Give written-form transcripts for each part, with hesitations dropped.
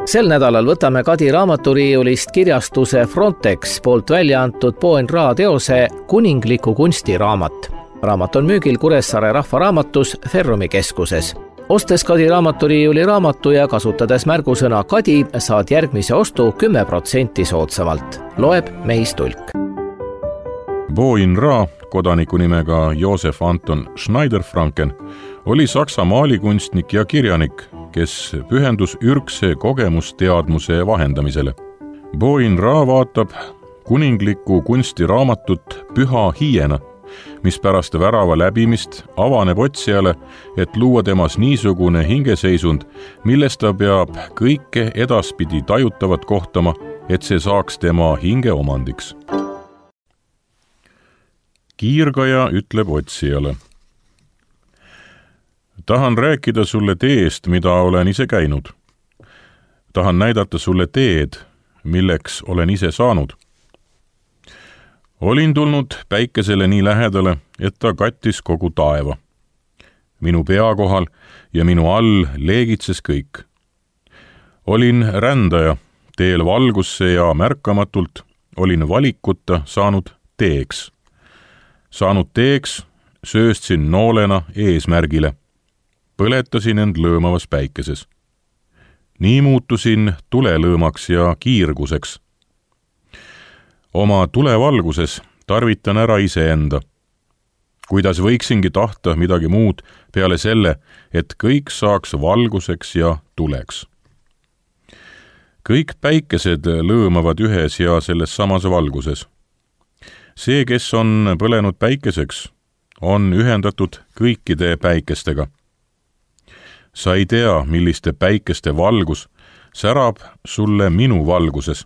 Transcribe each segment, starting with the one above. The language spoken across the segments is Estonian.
Sel nädalal võtame Kadi raamaturiiulist kirjastuse Frontex poolt välja antud Boen Ra teose Kuningliku kunstiraamat. Raamat on müügil Kuressaare rahvaraamatus Ferrumi keskuses. Ostes Kadi raamaturiiuli raamatu ja kasutades märgusõna Kadi saad järgmise ostu 10% soodsamalt. Loeb Mehis Tulk. Boen Ra, kodaniku nimega Josef Anton Schneider-Franken, oli Saksa maalikunstnik ja kirjanik, kes pühendus ürgse kogemusteadmuse vahendamisele. Boen Ra vaatab kuninglikku kunstiraamatut Püha hiiena, mis pärast värava läbimist avaneb otsijale, et luua temas niisugune hingeseisund, millest ta peab kõike edaspidi tajutavat kohtama, et see saaks tema hinge omandiks. Kiirgaja ütleb otsijale. Tahan rääkida sulle teest, mida olen ise käinud. Tahan näidata sulle teed, milleks olen ise saanud. Olin tulnud päikesele nii lähedale, et ta kattis kogu taeva. Minu pea kohal ja minu all leegitses kõik. Olin rändaja, teel valgusse ja märkamatult olin valikuta saanud teeks. Saanud teeks, sööstsin noolena eesmärgile. Põletasin end lõõmavas päikeses. Nii muutusin tulelõõmaks ja kiirguseks. Oma tulevalguses tarvitan ära iseenda. Kuidas võiksingi tahta midagi muud peale selle, et kõik saaks valguseks ja tuleks. Kõik päikesed lõõmavad ühes ja selles samas valguses. See, kes on põlenud päikeseks, on ühendatud kõikide päikestega. Sa ei tea, milliste päikeste valgus särab sulle minu valguses.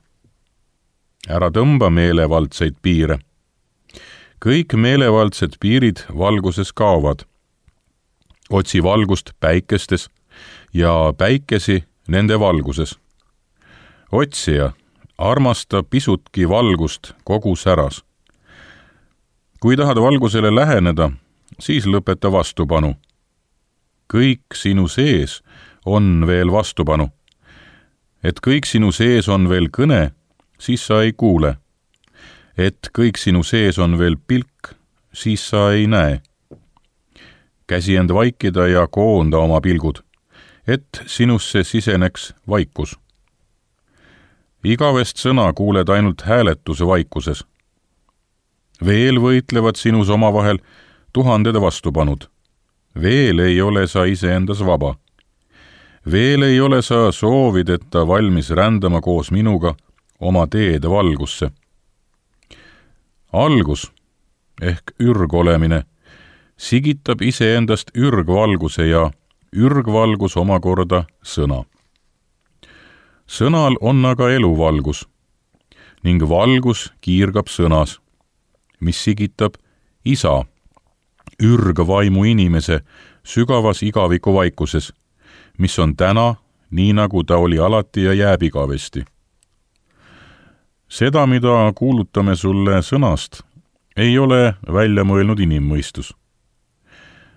Ära tõmba meelevaldseid piire. Kõik meelevaldsed piirid valguses kaovad. Otsi valgust päikestes ja päikesi nende valguses. Otsija, armasta pisutki valgust kogu säras. Kui tahad valgusele läheneda, siis lõpeta vastupanu. Kõik sinu sees on veel vastupanu. Et kõik sinu sees on veel kõne, siis sa ei kuule. Et kõik sinu sees on veel pilk, siis sa ei näe. Käsi end vaikida ja koonda oma pilgud, et sinusse siseneks vaikus. Igavest sõna kuuled ainult hääletuse vaikuses. Veel võitlevad sinus omavahel tuhanded vastupanud. Veel ei ole sa iseendas vaba. Veel ei ole sa soovideta valmis rändama koos minuga oma teede valgusse. Algus ehk ürgolemine sigitab iseendast ürgvalguse ja ürgvalgus omakorda sõna. Sõnal on aga eluvalgus ning valgus kiirgab sõnas, mis sigitab isa, ürgvaimu inimese sügavas igaviku vaikuses, mis on täna, nii nagu ta oli alati ja jääb igavesti. Seda, mida kuulutame sulle sõnast, ei ole välja mõelnud inimmõistus.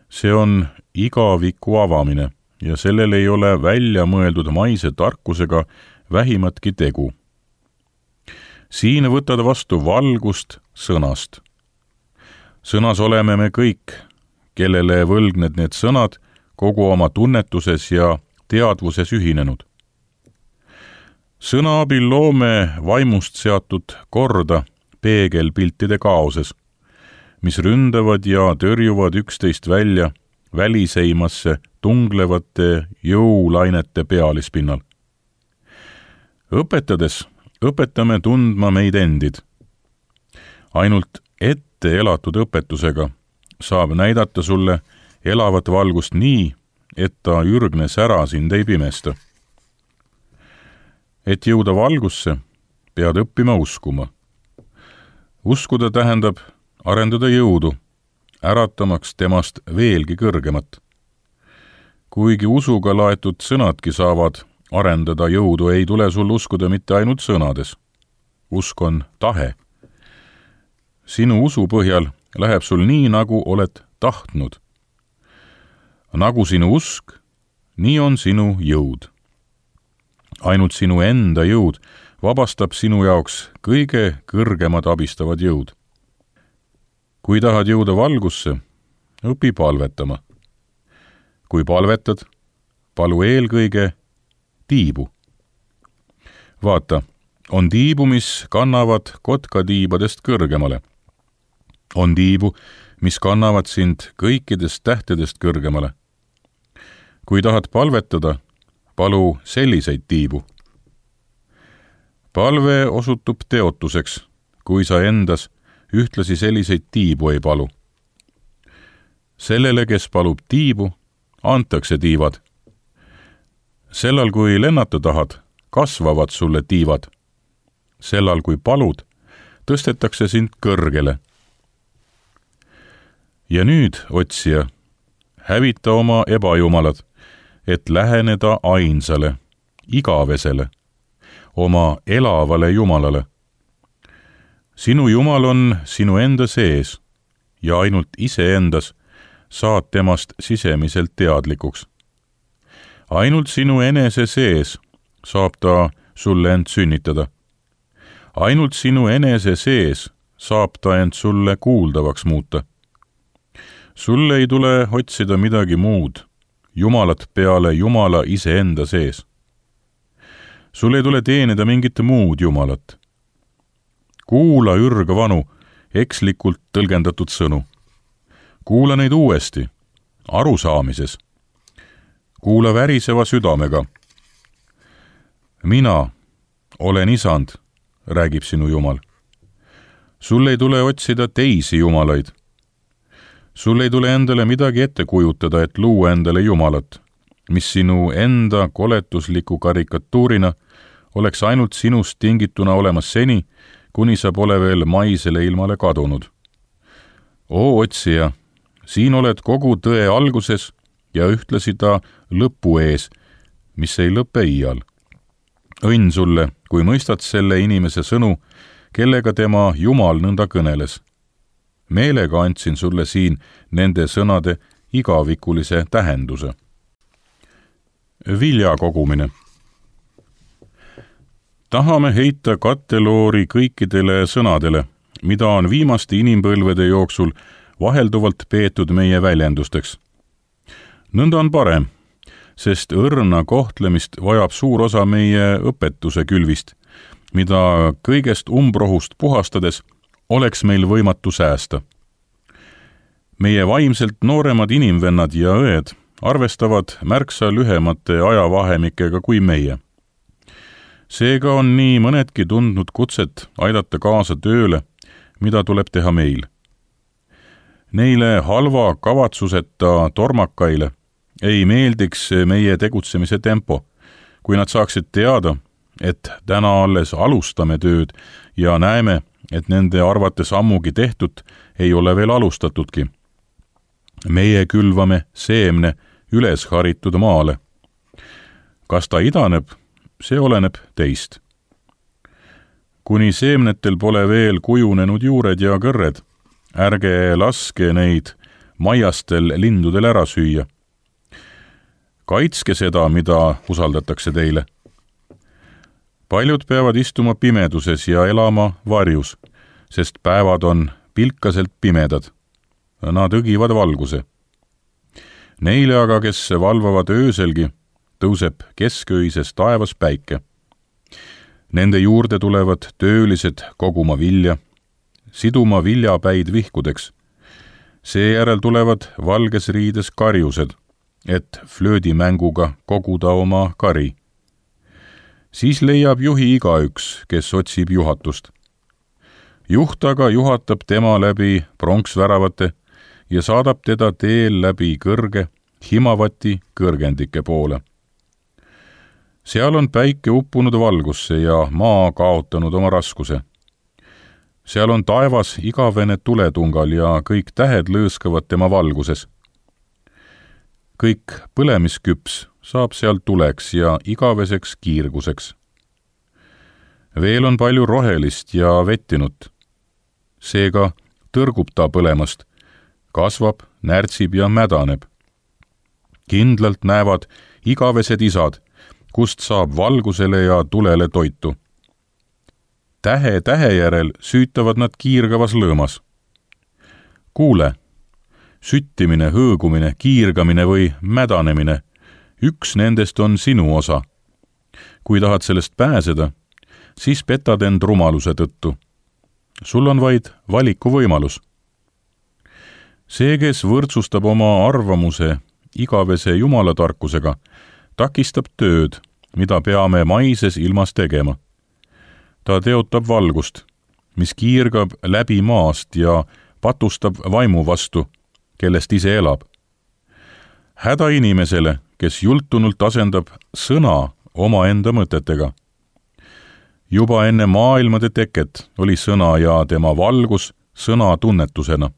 See on igaviku avamine ja sellel ei ole välja mõeldud maise tarkusega vähimatki tegu. Siin võtad vastu valgust sõnast. Sõnas oleme me kõik, kellele võlgned need sõnad kogu oma tunnetuses ja teadvuses ühinenud. Sõna abil loome vaimust seatud korda peegelpiltide kaoses, mis ründavad ja tõrjuvad üksteist välja väliseimasse tunglevate jõulainete pealispinnal. Õpetades õpetame tundma meid endid. Ainult ette elatud õpetusega saab näidata sulle elavat valgust nii, et ta ürgne sära sind ei pimesta. Et jõuda valgusse, pead õppima uskuma. Uskuda tähendab arendada jõudu, äratamaks temast veelgi kõrgemat. Kuigi usuga laetud sõnadki saavad arendada jõudu, ei tule sul uskuda mitte ainult sõnades. Usk on tahe. Sinu usu põhjal läheb sul nii, nagu oled tahtnud. Nagu sinu usk, nii on sinu jõud. ainult sinu enda jõud vabastab sinu jaoks kõige kõrgemad abistavad jõud. Kui tahad jõuda valgusse, õpi palvetama. Kui palvetad, palu eelkõige tiibu. Vaata, on tiibu, mis kannavad kotkatiibadest kõrgemale. On tiibu, mis kannavad sind kõikidest tähtedest kõrgemale. Kui tahad palvetada, palu selliseid tiibu. Palve osutub teotuseks, kui sa endas ühtlasi selliseid tiibu ei palu. Sellele, kes palub tiibu, antakse tiivad. Sellal, kui lennata tahad, kasvavad sulle tiivad. Sellal, kui palud, tõstetakse sind kõrgele. Ja nüüd, otsija, hävita oma ebajumalad, et läheneda ainsale, igavesele, oma elavale Jumalale. Sinu Jumal on sinu enda sees ja ainult iseendas saad temast sisemiselt teadlikuks. Ainult sinu enese sees saab ta sulle end sünnitada. Ainult sinu enese sees saab ta end sulle kuuldavaks muuta. Sulle ei tule otsida midagi muud, Jumalat peale Jumala iseenda sees. Sul ei tule teenida mingit muud Jumalat. Kuula ürgvanu, ekslikult tõlgendatud sõnu. Kuula neid uuesti, arusaamises. Kuula väriseva südamega. Mina olen Isand, räägib sinu Jumal. Sul ei tule otsida teisi jumalaid. Sul ei tule endale midagi ette kujutada, et luua endale Jumalat, mis sinu enda koletusliku karikatuurina oleks ainult sinust tingituna olemas seni, kuni sa pole veel maisele ilmale kadunud. Oo otsija, siin oled kogu tõe alguses ja ühtlasi ta lõpu ees, mis ei lõpe iial. Õnn sulle, kui mõistad selle inimese sõnu, kellega tema Jumal nõnda kõneles. Meelega andsin sulle siin nende sõnade igavikulise tähenduse. Vilja kogumine. Tahame heita katteloori kõikidele sõnadele, mida on viimaste inimpõlvede jooksul vahelduvalt peetud meie väljendusteks. Nõnda on parem, sest õrna kohtlemist vajab suur osa meie õpetuse külvist, mida kõigest umbrohust puhastades oleks meil võimatu säästa. Meie vaimselt nooremad inimvennad ja õed arvestavad märksa lühemate ajavahemikega kui meie. Seega on nii mõnedki tundnud kutset aidata kaasa tööle, mida tuleb teha meil. Neile halva kavatsuseta tormakaile ei meeldiks meie tegutsemise tempo, kui nad saaksid teada, et täna alles alustame tööd ja näeme, et nende arvates ammugi tehtud ei ole veel alustatudki. Meie külvame seemne üles haritud maale. Kas ta idaneb, see oleneb teist. Kuni seemnetel pole veel kujunenud juured ja kõrred, ärge laske neid maiastel lindudel ära süüa. Kaitske seda, mida usaldatakse teile. Paljud peavad istuma pimeduses ja elama varjus, sest päevad on pilkaselt pimedad. Nad õgivad valguse. Neile aga, kes valvavad ööselgi, tõuseb kesköises taevas päike. Nende juurde tulevad töölised koguma vilja, siduma viljapäid vihkudeks. Seejärel tulevad valges riides karjused, et flöödimänguga koguda oma kari. Siis leiab juhi igaüks, kes otsib juhatust. Juht aga juhatab tema läbi pronksväravate ja saadab teda teel läbi kõrge, himavati kõrgendike poole. Seal on päike uppunud valgusse ja maa kaotanud oma raskuse. Seal on taevas igavene tuletungal ja kõik tähed lõõskavad tema valguses. Kõik põlemisküps saab seal tuleks ja igaveseks kiirguseks. Veel on palju rohelist ja vettinut. Seega tõrgub ta põlemast, kasvab, närtsib ja mädaneb. Kindlalt näevad igavesed isad, kust saab valgusele ja tulele toitu. Tähe tähe järel süütavad nad kiirgavas lõõmas. Kuule, süttimine, hõõgumine, kiirgamine või mädanemine, üks nendest on sinu osa. Kui tahad sellest pääseda, siis petad end rumaluse tõttu. Sul on vaid valikuvõimalus. See, kes võrdsustab oma arvamuse igavese jumalatarkusega, takistab tööd, mida peame maises ilmas tegema. Ta teotab valgust, mis kiirgab läbi maast ja patustab vaimu vastu, kellest ise elab. Häda inimesele, kes jultunult asendab sõna omaenda mõtetega. Juba enne maailmade teket oli sõna ja tema valgus sõna tunnetusena.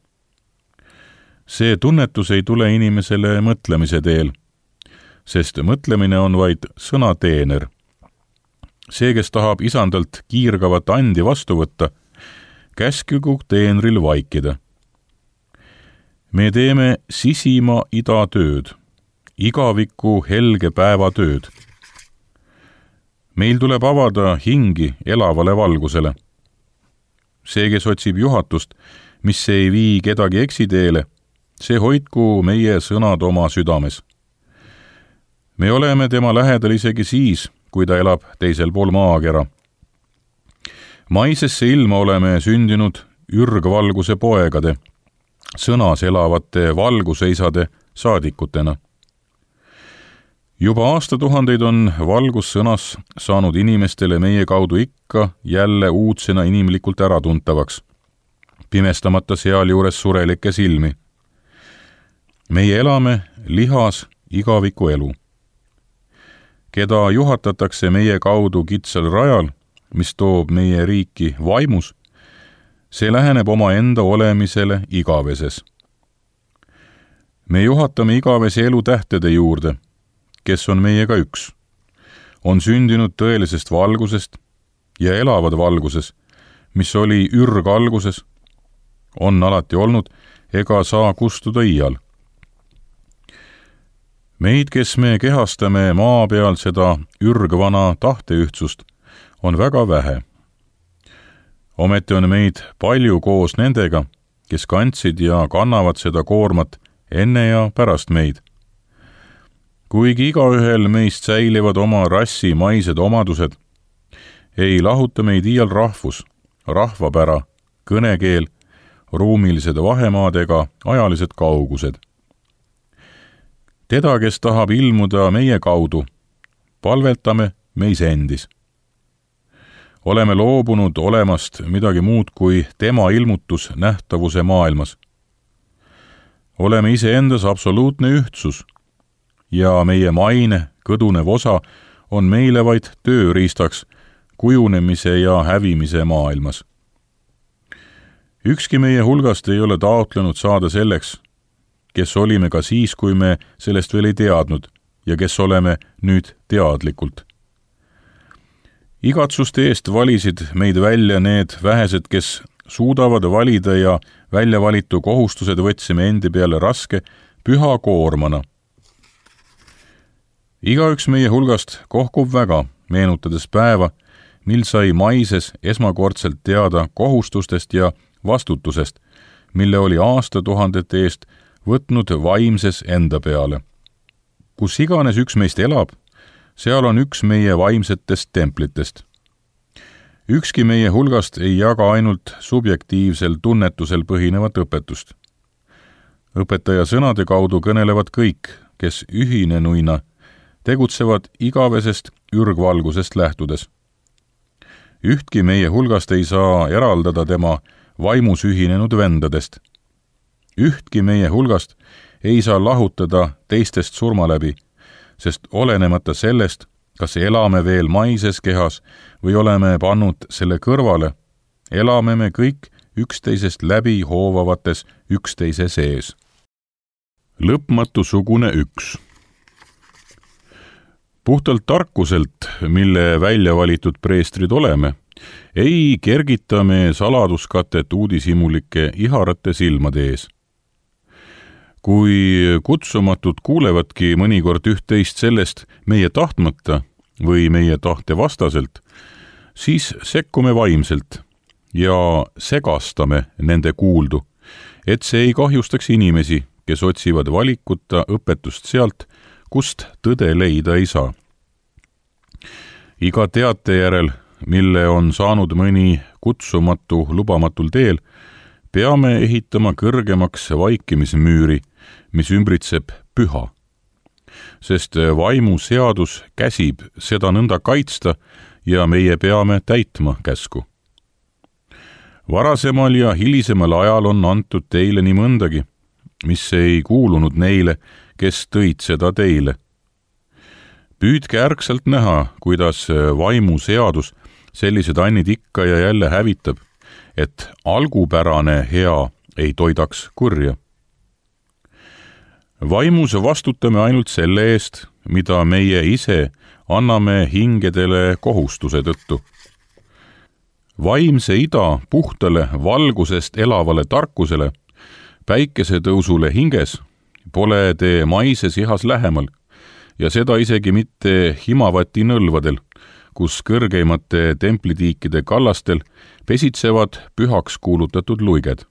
See tunnetus ei tule inimesele mõtlemise teel, sest mõtlemine on vaid sõnateener. See, kes tahab isandalt kiirgavat andi vastu võtta, käskigu teenril vaikida. Me teeme sisima ida tööd, igaviku helge päeva tööd. Meil tuleb avada hingi elavale valgusele. See, kes otsib juhatust, mis ei vii kedagi eksiteele, see hoidku meie sõnad oma südames. Me oleme tema lähedal isegi siis, kui ta elab teisel pool maakera. Maisesse ilma oleme sündinud ürgvalguse poegade, sõnas elavate valguseisade saadikutena. Juba aastatuhandeid on valgussõnas saanud inimestele meie kaudu ikka jälle uudsena inimlikult äratuntavaks, pimestamata sealjuures surelikke silmi. Meie elame lihas igaviku elu. Keda juhatatakse meie kaudu kitsal rajal, mis toob meie riiki vaimus, see läheneb oma enda olemisele igaveses. Me juhatame igavese elu tähtede juurde, kes on meiega üks, on sündinud tõelisest valgusest ja elavad valguses, mis oli ürgalguses, on alati olnud ega saa kustuda iial. Meid, kes me kehastame maa peal seda ürgvana tahteühtsust, on väga vähe. Ometi on meid palju koos nendega, kes kandsid ja kannavad seda koormat enne ja pärast meid. Kuigi igaühel meist säilivad oma rassi maised omadused, ei lahuta meid iial rahvus, rahvapära, kõnekeel, ruumilised vahemaad ega ajalised kaugused. Teda, kes tahab ilmuda meie kaudu, palvetame meis endis. Oleme loobunud olemast midagi muud kui tema ilmutus nähtavuse maailmas. Oleme iseendas absoluutne ühtsus ja meie maine kõdunev osa on meile vaid tööriistaks kujunemise ja hävimise maailmas. Ükski meie hulgast ei ole taotlenud saada selleks, kes olime ka siis, kui me sellest veel ei teadnud ja kes oleme nüüd teadlikult. Igatsuste eest valisid meid välja need vähesed, kes suudavad valida ja välja valitu kohustused võtsime endi peale raske, püha koormana. Igaüks meie hulgast kohkub väga, meenutades päeva, mil sai maises esmakordselt teada kohustustest ja vastutusest, mille oli aastatuhandete eest võtnud vaimses enda peale. Kus iganes üks meist elab, seal on üks meie vaimsetest templitest. Ükski meie hulgast ei jaga ainult subjektiivsel tunnetusel põhinevat õpetust. Õpetaja sõnade kaudu kõnelevad kõik, kes ühinenuina tegutsevad igavesest ürgvalgusest lähtudes. Ühtki meie hulgast ei saa eraldada tema vaimus ühinenud vendadest. Ühtki meie hulgast ei saa lahutada teistest surma läbi, sest olenemata sellest, kas elame veel maises kehas või oleme pannud selle kõrvale, elame me kõik üksteisest läbi hoovavates üksteise sees. Lõpmatusugune üks. Puhtalt tarkuselt, mille välja valitud preestrid oleme, ei kergita me saladuskatet uudishimulike iharate silmade ees. Kui kutsumatud kuulevadki mõnikord üht-teist sellest meie tahtmata või meie tahte vastaselt, siis sekkume vaimselt ja segastame nende kuuldu, et see ei kahjustaks inimesi, kes otsivad valikuta õpetust sealt, kust tõde leida ei saa. Iga teate järel, mille on saanud mõni kutsumatu lubamatul teel, peame ehitama kõrgemaks vaikimismüüri, mis ümbritseb püha. Sest vaimu seadus käsib seda nõnda kaitsta ja meie peame täitma käsku. Varasemal ja hilisemal ajal on antud teile nii mõndagi, mis ei kuulunud neile, kes tõid seda teile. Püüdke ärkselt näha, kuidas vaimu seadus sellised annid ikka ja jälle hävitab, et algupärane hea ei toidaks kurja. Vaimus vastutame ainult selle eest, mida meie ise anname hingedele kohustuse tõttu. Vaimse ida puhtale valgusest elavale tarkusele, päikesetõusule hinges, pole te maises ihas lähemal ja seda isegi mitte Himavati nõlvadel, kus kõrgeimate templitiikide kallastel pesitsevad pühaks kuulutatud luiged.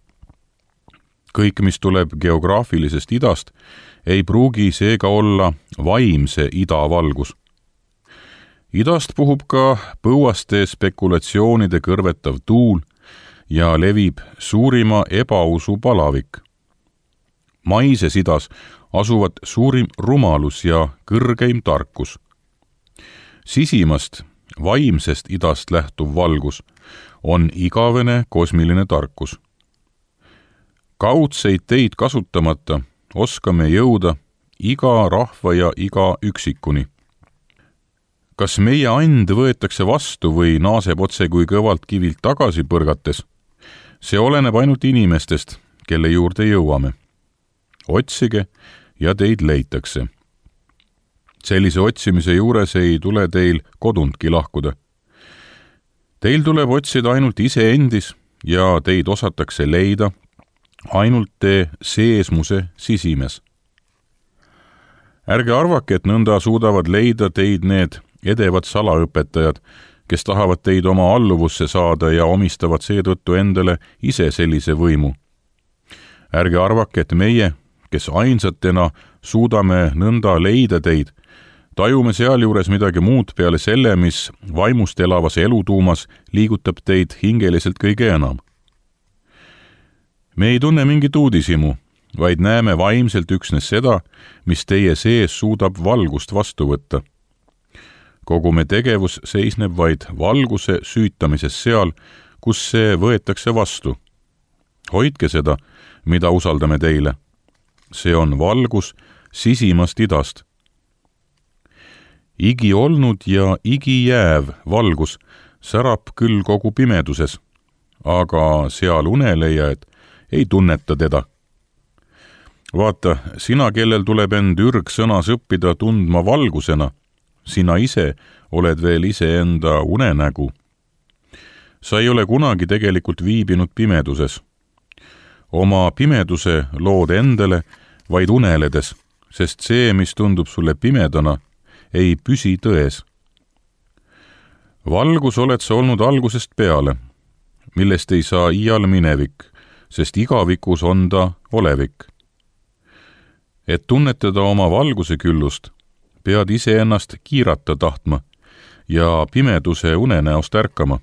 Kõik, mis tuleb geograafilisest idast, ei pruugi seega olla vaimse idavalgus. Idast puhub ka põuaste spekulatsioonide kõrvetav tuul ja levib suurima ebausu palavik. Maises idas asuvad suurim rumalus ja kõrgeim tarkus. Sisimast, vaimsest idast lähtuv valgus on igavene kosmiline tarkus. Kaudseid teid kasutamata oskame jõuda iga rahva ja iga üksikuni. Kas meie and võetakse vastu või naaseb otse kui kõvalt kivilt tagasi põrgates? See oleneb ainult inimestest, kelle juurde jõuame. Otsige ja teid leitakse. Sellise otsimise juures ei tule teil kodundki lahkuda. Teil tuleb otsida ainult iseendis ja teid osatakse leida ainult te seesmuse sisimes. Ärge arvake, et nõnda suudavad leida teid need edevad salaõpetajad, kes tahavad teid oma alluvusse saada ja omistavad seetõttu endale ise sellise võimu. Ärge arvake, et meie, kes ainsatena suudame nõnda leida teid, tajume sealjuures midagi muud peale selle, mis vaimust elavas elutuumas liigutab teid hingeliselt kõige enam. Me ei tunne mingit uudishimu, vaid näeme vaimselt üksnes seda, mis teie sees suudab valgust vastu võtta. Kogu me tegevus seisneb vaid valguse süütamises seal, kus see võetakse vastu. Hoidke seda, mida usaldame teile. See on valgus sisimast idast. Igi olnud ja igi jääv valgus särab küll kogu pimeduses, aga seal uneleiajad ei tunneta teda. Vaata, sina, kellel tuleb end ürgsõnas õppida tundma valgusena, sina ise oled veel iseenda unenägu. Sa ei ole kunagi tegelikult viibinud pimeduses. Oma pimeduse lood endale vaid uneledes, sest see, mis tundub sulle pimedana, ei püsi tões. Valgus oled sa olnud algusest peale, millest ei saa iial minevik, sest igavikus on ta olevik. Et tunnetada oma valguse küllust, pead iseennast kiirata tahtma ja pimeduse unenäost ärkama.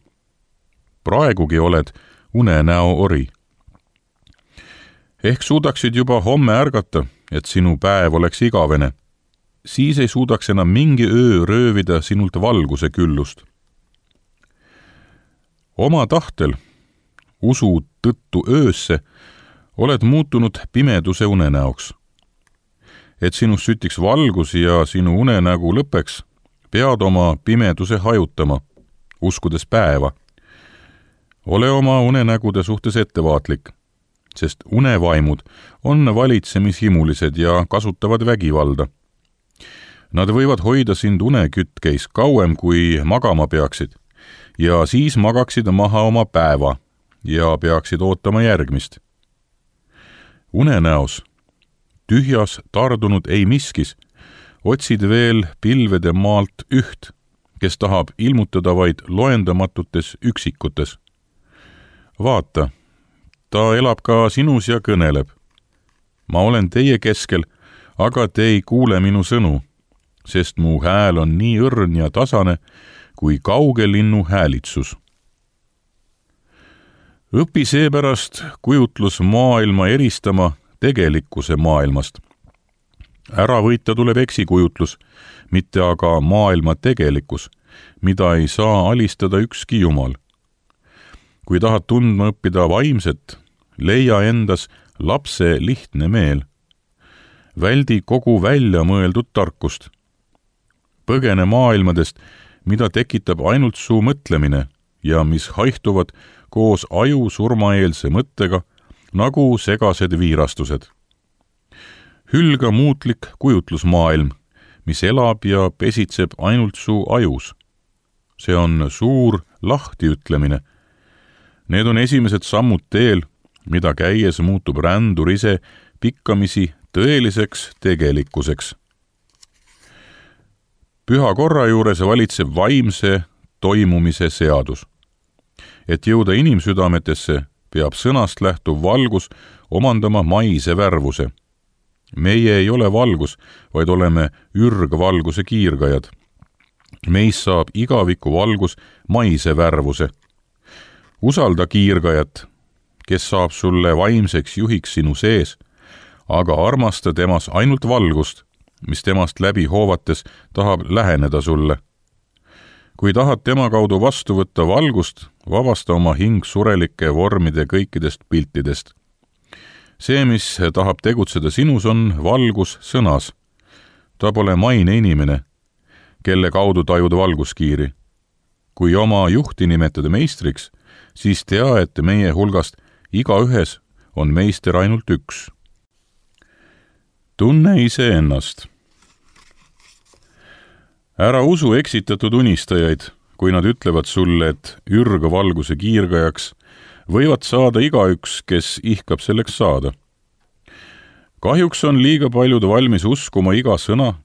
Praegugi oled unenäo ori. Ehk suudaksid juba homme ärgata, et sinu päev oleks igavene. Siis ei suudaks enam mingi öö röövida sinult valguse küllust. Oma tahtel, usu tõttu öösse, oled muutunud pimeduse unenäoks. Et sinust sütiks valgus ja sinu unenägu lõpeks, pead oma pimeduse hajutama, uskudes päeva. Ole oma unenägude suhtes ettevaatlik, sest unevaimud on valitsemishimulised ja kasutavad vägivalda. Nad võivad hoida sind unekütkeis kauem, kui magama peaksid, ja siis magaksid maha oma päeva ja peaksid ootama järgmist. Unenäos, tühjas tardunud ei miskis, otsid veel pilvede maalt üht, kes tahab ilmutada vaid loendamatutes üksikutes. Vaata, ta elab ka sinus ja kõneleb. Ma olen teie keskel, aga te ei kuule minu sõnu, sest mu hääl on nii õrn ja tasane kui kauge linnu häälitsus. Õpi seepärast kujutlus maailma eristama tegelikkuse maailmast. Ära võita tuleb eksikujutlus, mitte aga maailma tegelikkus, mida ei saa alistada ükski jumal. Kui tahad tundma õppida vaimset, leia endas lapse lihtne meel. Väldi kogu välja mõeldud tarkust. Põgene maailmadest, mida tekitab ainult su mõtlemine ja mis haihtuvad koos aju surmaeelse mõttega nagu segased viirastused. Hülga muutlik kujutlusmaailm, mis elab ja pesitseb ainult su ajus. See on suur lahtiütlemine. Need on esimesed sammud teel, mida käies muutub rändur ise pikkamisi tõeliseks tegelikkuseks. Püha korra juures valitseb vaimse toimumise seadus. Et jõuda inimsüdametesse, peab sõnast lähtuv valgus omandama maise värvuse. Meie ei ole valgus, vaid oleme ürgvalguse kiirgajad. Meis saab igaviku valgus maise värvuse. Usalda kiirgajat, kes saab sulle vaimseks juhiks sinu sees, aga armasta temas ainult valgust, mis temast läbi hoovates tahab läheneda sulle. Kui tahad tema kaudu vastu võtta valgust, vabasta oma hing surelike vormide kõikidest piltidest. See, mis tahab tegutseda sinus, on valgus sõnas. Ta pole maine inimene, kelle kaudu tajud valguskiiri. Kui oma juhti nimetada meistriks, siis tea, et meie hulgast igaühes on meister ainult üks. Tunne iseennast. Ära usu eksitatud unistajaid, kui nad ütlevad sulle, et ürgvalguse kiirgajaks võivad saada igaüks, kes ihkab selleks saada. Kahjuks on liiga paljud valmis uskuma iga sõna,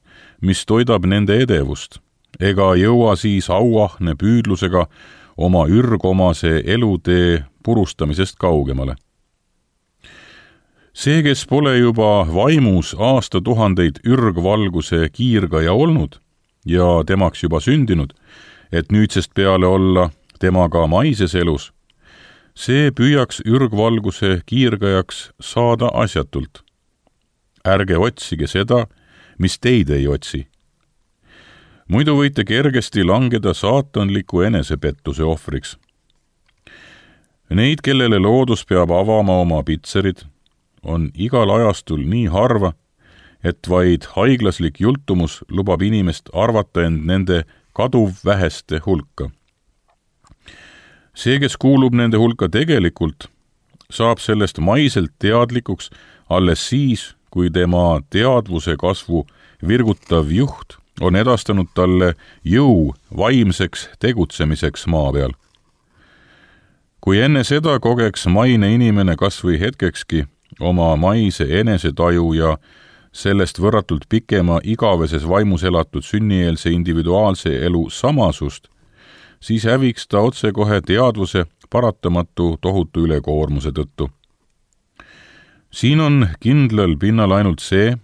mis toidab nende edevust, ega jõua siis auahne püüdlusega oma ürgomase elutee purustamisest kaugemale. See, kes pole juba vaimus aastatuhandeid ürgvalguse kiirgaja olnud ja temaks juba sündinud, et nüüdsest peale olla temaga maises elus, see püüaks ürgvalguse kiirgajaks saada asjatult. Ärge otsige seda, mis teid ei otsi. Muidu võite kergesti langeda saatanliku enesepettuse ohvriks. Neid, kellele loodus peab avama oma pitserid, on igal ajastul nii harva, et vaid haiglaslik jultumus lubab inimest arvata end nende kaduvväheste hulka. See, kes kuulub nende hulka tegelikult, saab sellest maiselt teadlikuks alles siis, kui tema teadvuse kasvu virgutav juht on edastanud talle jõu vaimseks tegutsemiseks maa peal. Kui enne seda kogeks maine inimene kas või hetkekski oma maise enesetaju ja sellest võrratult pikema igaveses vaimus elatud sünnieelse individuaalse elu samasust, siis häviks ta otsekohe teadvuse paratamatu tohutu ülekoormuse tõttu. Siin on kindlal pinnal ainult see,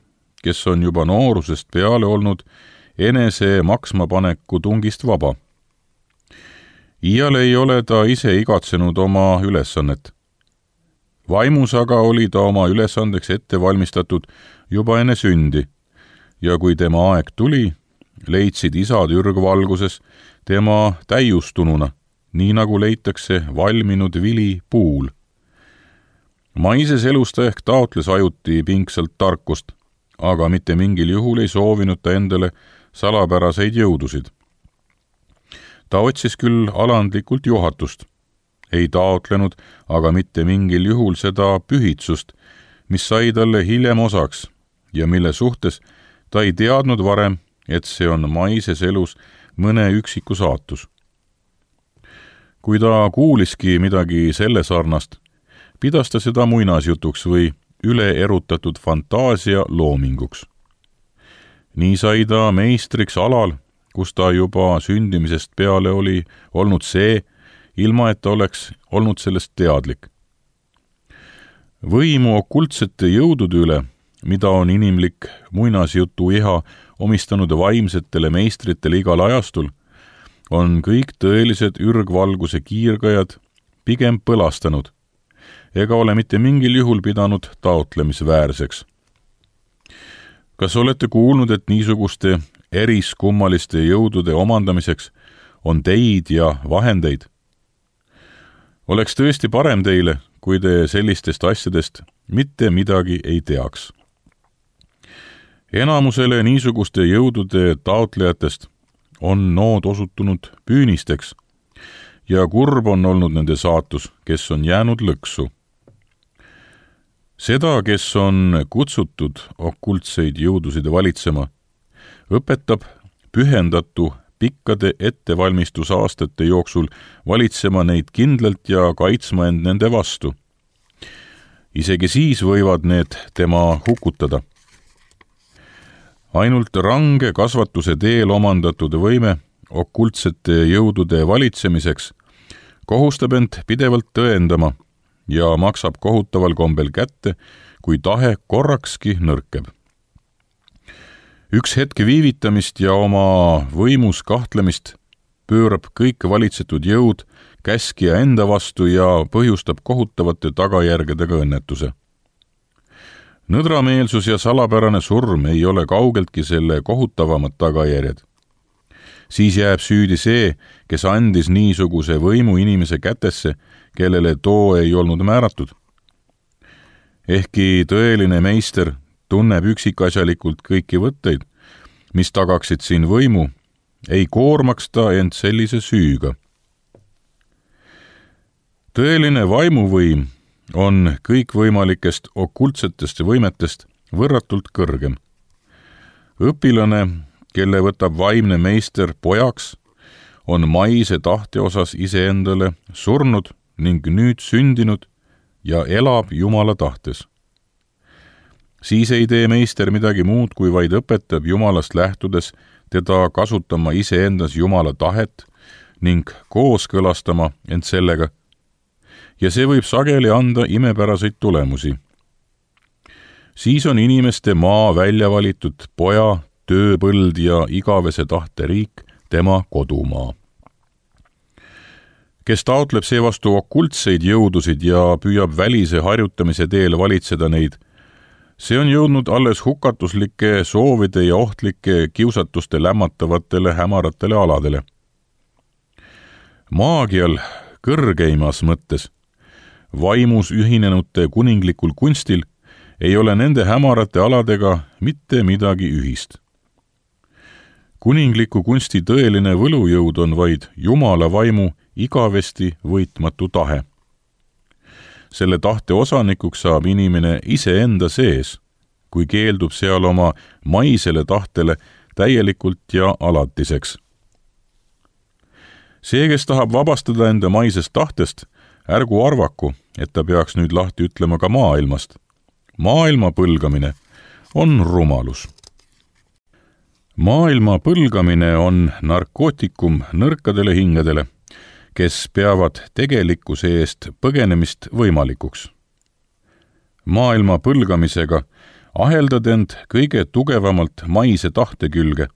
kes on juba noorusest peale olnud enese maksmapaneku tungist vaba. Iial ei ole ta ise igatsenud oma ülesannet. Vaimus aga oli ta oma ülesandeks ette valmistatud juba enne sündi ja kui tema aeg tuli, leidsid isad ürgvalguses tema täiustununa, nii nagu leitakse valminud vili puul. Maises elus ta ehk taotles ajuti pingsalt tarkust, aga mitte mingil juhul ei soovinud ta endale salapäraseid jõudusid. Ta otsis küll alandlikult juhatust, ei taotlenud aga mitte mingil juhul seda pühitsust, mis sai talle hiljem osaks ja mille suhtes ta ei teadnud varem, et see on maises elus mõne üksiku saatus. Kui ta kuuliski midagi selle sarnast, pidas ta seda muinasjutuks või üleerutatud fantaasia loominguks. Nii sai ta meistriks alal, kus ta juba sündimisest peale oli olnud see, ilma et ta oleks olnud sellest teadlik. Võimu okultsete jõudude üle, mida on inimlik muinasjutu iha omistanud vaimsetele meistritele igal ajastul, on kõik tõelised ürgvalguse kiirgajad pigem põlastanud ega ole mitte mingil juhul pidanud taotlemisväärseks. Kas olete kuulnud, et niisuguste eriskummaliste jõudude omandamiseks on teid ja vahendeid? Oleks tõesti parem teile, kui te sellistest asjadest mitte midagi ei teaks. Enamusele niisuguste jõudude taotlejatest on nood osutunud püünisteks ja kurb on olnud nende saatus, kes on jäänud lõksu. Seda, kes on kutsutud okultseid jõudusid valitsema, õpetab pühendatu pikkade ettevalmistusaastate jooksul valitsema neid kindlalt ja kaitsma end nende vastu. Isegi siis võivad need tema hukutada. Ainult range kasvatuse teel omandatud võime okultsete jõudude valitsemiseks kohustab end pidevalt tõendama ja maksab kohutaval kombel kätte, kui tahe korrakski nõrkeb. Üks hetk viivitamist ja oma võimus kahtlemist pöörab kõik valitsetud jõud käskija enda vastu ja põhjustab kohutavate tagajärgedega õnnetuse. Nõdrameelsus ja salapärane surm ei ole kaugeltki selle kohutavamad tagajärjed. Siis jääb süüdi see, kes andis niisuguse võimu inimese kätesse, kellele too ei olnud määratud. Ehkki tõeline meister tunneb üksikasjalikult kõiki võtteid, mis tagaksid siin võimu, ei koormaks ta end sellise süüga. Tõeline vaimuvõim on kõikvõimalikest okultsetest võimetest võrratult kõrgem. Õpilane, kelle võtab vaimne meister pojaks, on maise tahte osas iseendale surnud ning nüüd sündinud ja elab Jumala tahtes. Siis ei tee meister midagi muud, kui vaid õpetab Jumalast lähtudes teda kasutama iseendas Jumala tahet ning kooskõlastama end sellega, ja see võib sageli anda imepäraseid tulemusi. Siis on inimeste maa välja valitud poja, tööpõld ja igavese tahte riik tema kodumaa. Kes taotleb seevastu okultseid jõudusid ja püüab välise harjutamise teel valitseda neid, see on jõudnud alles hukatuslike soovide ja ohtlike kiusatuste lämmatavatele hämaratele aladele. Maagial kõrgeimas mõttes, vaimus ühinenute kuninglikul kunstil, ei ole nende hämarate aladega mitte midagi ühist. Kuningliku kunsti tõeline võlujõud on vaid Jumala vaimu igavesti võitmatu tahe. Selle tahte osanikuks saab inimene iseenda sees, kui keeldub seal oma maisele tahtele täielikult ja alatiseks. See, kes tahab vabastada enda maisest tahtest, ärgu arvaku, et ta peaks nüüd lahti ütlema ka maailmast. Maailma põlgamine on rumalus. Maailma põlgamine on narkootikum nõrkadele hingedele, kes peavad tegelikkuse eest põgenemist võimalikuks. Maailma põlgamisega aheldad end kõige tugevamalt maise tahte külge,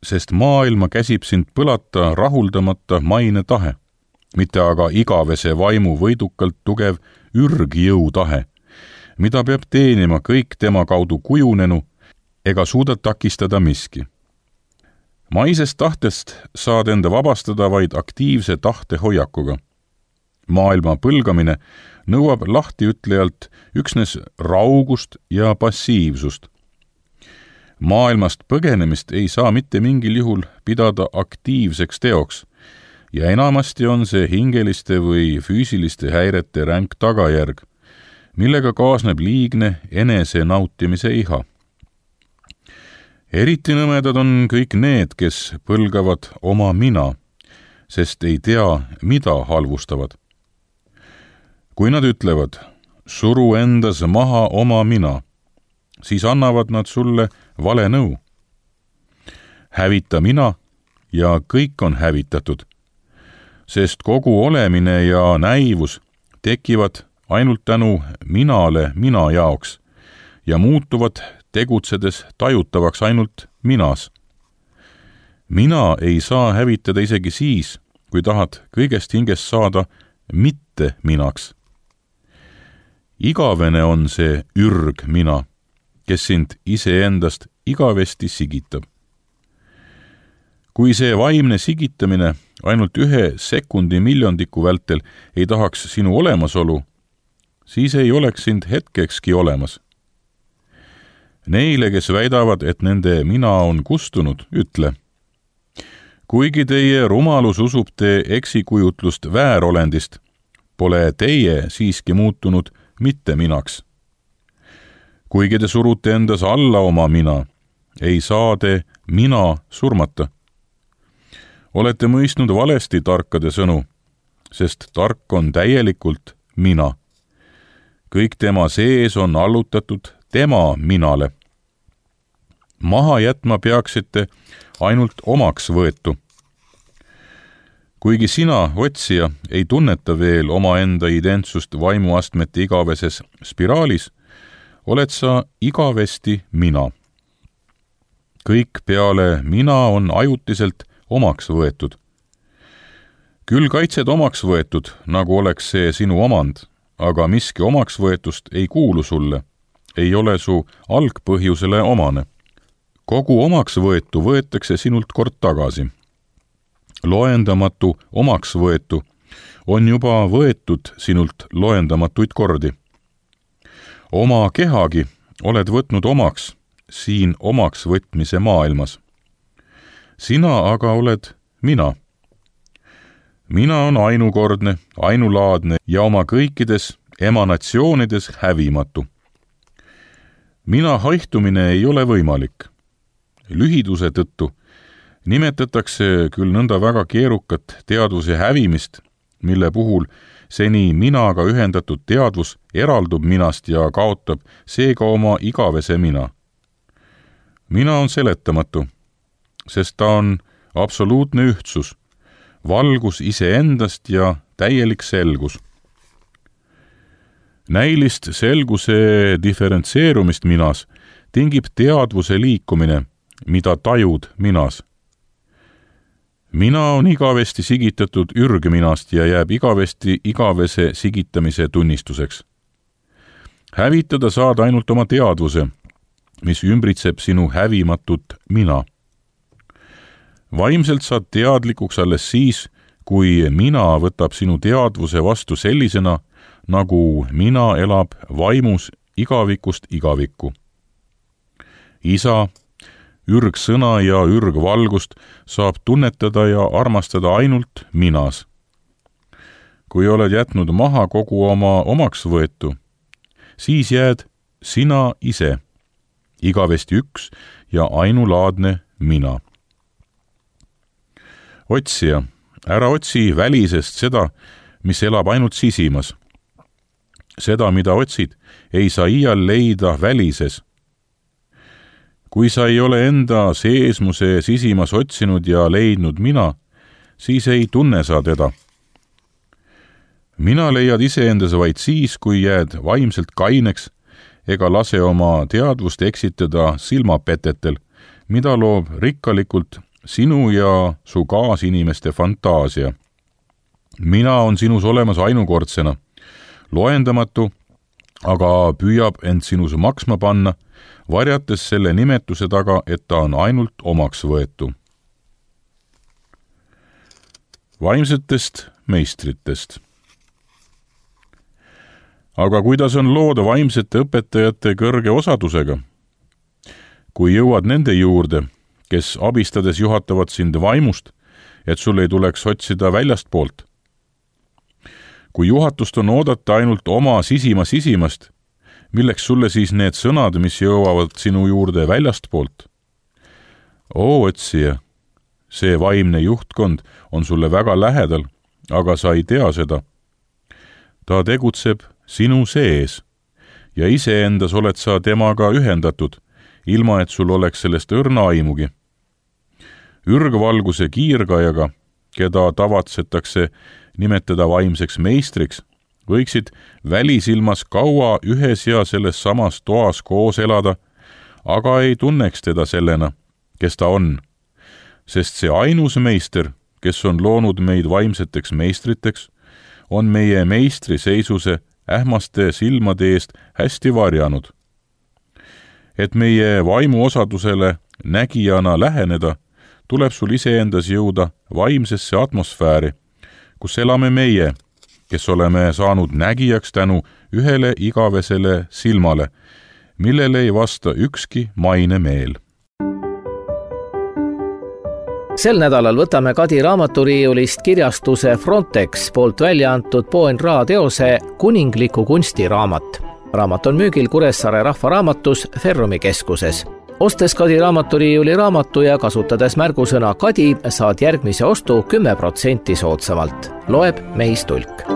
sest maailma käsib sind põlata rahuldamata maine tahe, mitte aga igavese vaimu võidukalt tugev ürgjõu tahe, mida peab teenima kõik tema kaudu kujunenu ega suuda takistada miski. Maisest tahtest saad enda vabastada vaid aktiivse tahte hoiakuga. Maailma põlgamine nõuab lahtiütlejalt üksnes raugust ja passiivsust. Maailmast põgenemist ei saa mitte mingil juhul pidada aktiivseks teoks ja enamasti on see hingeliste või füüsiliste häirete ränk tagajärg, millega kaasneb liigne enese nautimise iha. Eriti nõmedad on kõik need, kes põlgavad oma mina, sest ei tea, mida halvustavad. Kui nad ütlevad, suru endas maha oma mina, siis annavad nad sulle vale nõu. Hävita mina ja kõik on hävitatud, sest kogu olemine ja näivus tekivad ainult tänu minale mina jaoks ja muutuvad tegutsedes tajutavaks ainult minas. Mina ei saa hävitada isegi siis, kui tahad kõigest hingest saada mitte minaks. Igavene on see ürg mina, kes sind iseendast igavesti sigitab. Kui see vaimne sigitamine ainult 1 sekundi miljondiku vältel ei tahaks sinu olemasolu, siis ei oleks sind hetkekski olemas. Neile, kes väidavad, et nende mina on kustunud, ütle: kuigi teie rumalus usub te eksikujutlust väärolendist, pole teie siiski muutunud mitte minaks. Kuigi te surute endas alla oma mina, ei saa te mina surmata. Olete mõistnud valesti tarkade sõnu, sest tark on täielikult mina. Kõik tema sees on allutatud tema minale. Maha jätma peaksite ainult omaks võetu. Kuigi sina, otsija, ei tunneta veel omaenda identsust vaimuastmete igaveses spiraalis, oled sa igavesti mina. Kõik peale mina on ajutiselt omaks võetud. Küll kaitsed omaks võetud, nagu oleks see sinu omand, aga miski omaks võetust ei kuulu sulle, ei ole su algpõhjusele omane. Kogu omaks võetu võetakse sinult kord tagasi. Loendamatu omaks võetu on juba võetud sinult loendamatuid kordi. Oma kehagi oled võtnud omaks siin omaks võtmise maailmas. Sina aga oled mina. Mina on ainukordne, ainulaadne ja oma kõikides emanatsioonides hävimatu. Mina haihtumine ei ole võimalik. Lühiduse tõttu nimetatakse küll nõnda väga keerukat teadvuse hävimist, mille puhul seni minaga ühendatud teadvus eraldub minast ja kaotab seega oma igavese mina. Mina on seletamatu, sest ta on absoluutne ühtsus, valgus iseendast ja täielik selgus. Näilist selguse diferentseerumist minas tingib teadvuse liikumine, mida tajud minas. Mina on igavesti sigitatud ürgminast ja jääb igavesti igavese sigitamise tunnistuseks. Hävitada saad ainult oma teadvuse, mis ümbritseb sinu hävimatut mina. Vaimselt saad teadlikuks alles siis, kui mina võtab sinu teadvuse vastu sellisena, nagu mina elab vaimus igavikust igavikku. Isa, ürgsõna ja ürgvalgust saab tunnetada ja armastada ainult minas. Kui oled jätnud maha kogu oma omaks võetu, siis jääd sina ise, igavesti üks ja ainulaadne mina. Otsija, ära otsi välisest seda, mis elab ainult sisimas. Seda, mida otsid, ei saa iial leida välises. Kui sa ei ole enda seesmuse sisimas otsinud ja leidnud mina, siis ei tunne sa teda. Mina leiad iseendas vaid siis, kui jääd vaimselt kaineks ega lase oma teadvust eksitada silmapetetel, mida loob rikkalikult sinu ja su kaasinimeste fantaasia. Mina on sinus olemas ainukordsena, loendamatu, aga püüab end sinus maksma panna, varjates selle nimetuse taga, et ta on ainult omaks võetu. Vaimsetest meistritest. Aga kuidas on lood vaimsete õpetajate kõrge osadusega? Kui jõuad nende juurde, kes abistades juhatavad sind vaimust, et sul ei tuleks otsida väljastpoolt. Kui juhatust on oodata ainult oma sisimast, milleks sulle siis need sõnad, mis jõuavad sinu juurde väljastpoolt? Oo, otsija, see vaimne juhtkond on sulle väga lähedal, aga sa ei tea seda. Ta tegutseb sinu sees ja iseendas oled sa temaga ühendatud, ilma et sul oleks sellest õrna aimugi. ürgvalguse kiirgajaga, keda tavatsetakse nimetada vaimseks meistriks, võiksid välisilmas kaua ühes ja selles samas toas koos elada, aga ei tunneks teda sellena, kes ta on. Sest see ainus meister, kes on loonud meid vaimseteks meistriteks, on meie meistri seisuse ähmaste silmade eest hästi varjanud. Et meie vaimuosadusele nägijana läheneda, tuleb sul iseendas jõuda vaimsesse atmosfääri, kus elame meie, kes oleme saanud nägijaks tänu ühele igavesele silmale, millele ei vasta ükski maine meel. Sel nädalal võtame Kadi raamaturiiulist kirjastuse Frontex poolt välja antud Poen Ra teose Kuningliku kunsti raamat. Raamat on müügil Kuressaare Rahvaraamatus Ferrumi keskuses. Ostes Kadi raamaturiiuli raamatu ja kasutades märgusõna Kadi, saad järgmise ostu 10% soodsamalt. Loeb Mehis Tulk.